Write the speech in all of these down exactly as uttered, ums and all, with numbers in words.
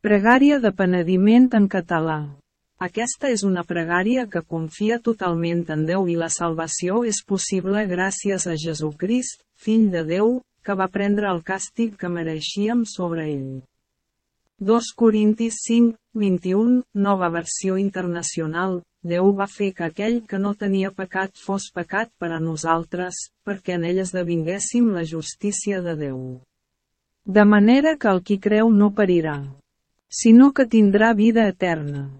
Pregària de penediment en català. Aquesta és una pregària que confia totalment en Déu i la salvació és possible gràcies a Jesucrist, Fill de Déu, que va prendre el càstig que mereixíem sobre ell. dos Corintis cinc, vint-i-u, nova versió internacional. Déu va fer que aquell que no tenia pecat fos pecat per a nosaltres, perquè en ell esdevinguéssim la justícia de Déu. De manera que el qui creu no perirà, sinó que tindrà vida eterna.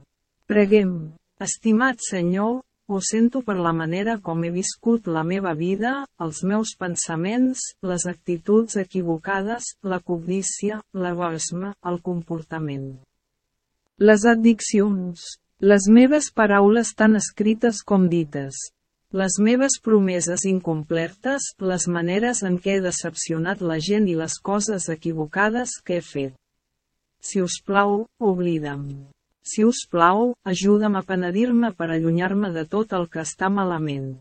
Preguem. Estimat Senyor, ho sento per la manera com he viscut la meva vida, els meus pensaments, les actituds equivocades, la cobdícia, l'egoisme, el comportament. Les addiccions. Les meves paraules tan escrites com dites. Les meves promeses incomplertes, les maneres en què he decepcionat la gent i les coses equivocades que he fet. Si us plau, oblida'm. Si us plau, ajuda'm a penedir-me per allunyar-me de tot el que està malament.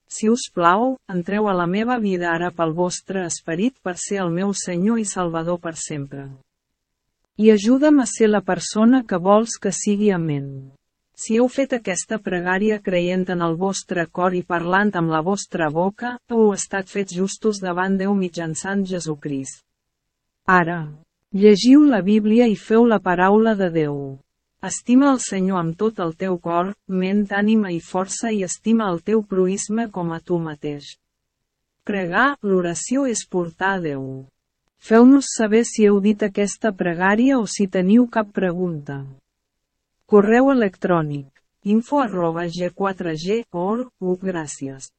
Si us plau, entreu a la meva vida ara pel vostre esperit per ser el meu Senyor i Salvador per sempre. I ajuda'm a ser la persona que vols que sigui amén. Si heu fet aquesta pregària creient en el vostre cor i parlant amb la vostra boca, heu estat fets justos davant Déu mitjançant Jesucrist. Ara, llegiu la Bíblia i feu la paraula de Déu. Estima el Senyor amb tot el teu cor, ment, ànima i força i estima el teu proïsme com a tu mateix. Pregar, l'oració és portar a Déu. Feu-nos saber si heu dit aquesta pregària o si teniu cap pregunta. Correu electrònic. info arroba ge quatre ge punt org. Gràcies.